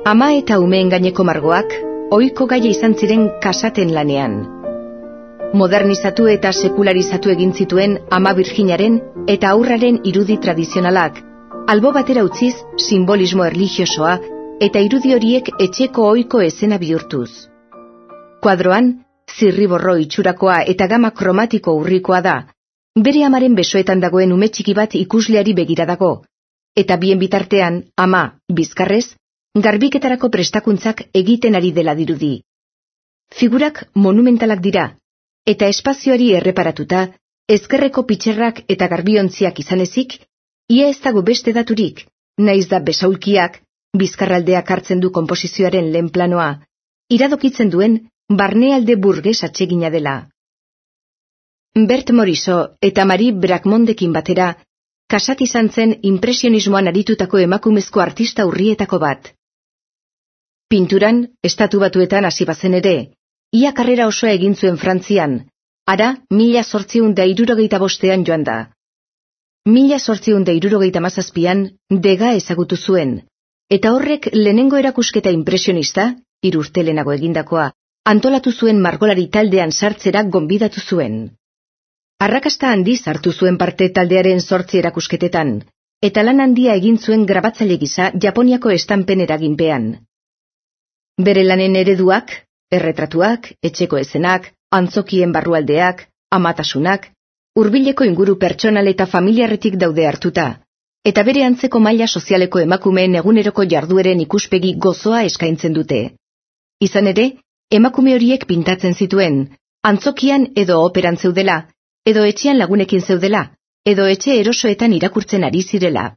Ama eta umeen gaineko margoak, ohiko gaia izan ziren kasaten lanean. Modernizatu eta sekularizatu egin zituen Ama Birjinaren eta haurraren irudi tradizionalak, albo batera utziz simbolismo erlijiosoa eta irudi horiek etxeko ohiko esena bihurtuz. Kuadroan, zirriborro itxurakoa eta gama kromatiko urrikoa da, bere amaren besoetan dagoen ume txiki bat ikusleari begira dago, eta bien bitartean ama, bizkarrez, garbiketarako prestakuntzak egiten ari dela dirudi. Figurak monumentalak dira, eta espazioari erreparatuta, ezkerreko pitxerrak eta garbiontziak izan ezik, ia ez dago beste daturik, naiz da besaulkiak, bizkarraldeak hartzen du konposizioaren lehen planoa, iradokitzen duen barnealde burges atsegina dela. Bert Morisot eta Marie Bracmondekin batera, Cassatt izan zen impresionismoan aritutako emakumezko artista urrietako bat. Pinturan, Estatu Batuetan hasi bazen ere, ia karrera osoa egin zuen Frantzian, ara 1865 joan da. 1867an Degas ezagutu zuen, eta horrek lehenengo erakusketa impresionista, 3 urte lehenago egindakoa, antolatu zuen margolari taldean sartzera gonbidatu zuen. Arrakasta handiz hartu zuen parte taldearen 8 erakusketetan, eta lan handia egin zuen grabatzaile gisa Japoniako estampen eraginpean. Bere lanen ereduak, erretratuak, etxeko ezenak, antzokien barrualdeak, amatasunak, hurbileko inguru pertsonal eta familiarretik daude hartuta, eta bere antzeko maila sozialeko emakumeen eguneroko jardueren ikuspegi gozoa eskaintzen dute. Izan ere, emakume horiek pintatzen zituen, antzokian edo operan zeudela, edo etxean lagunekin zeudela, edo etxe erosoetan irakurtzen ari zirela.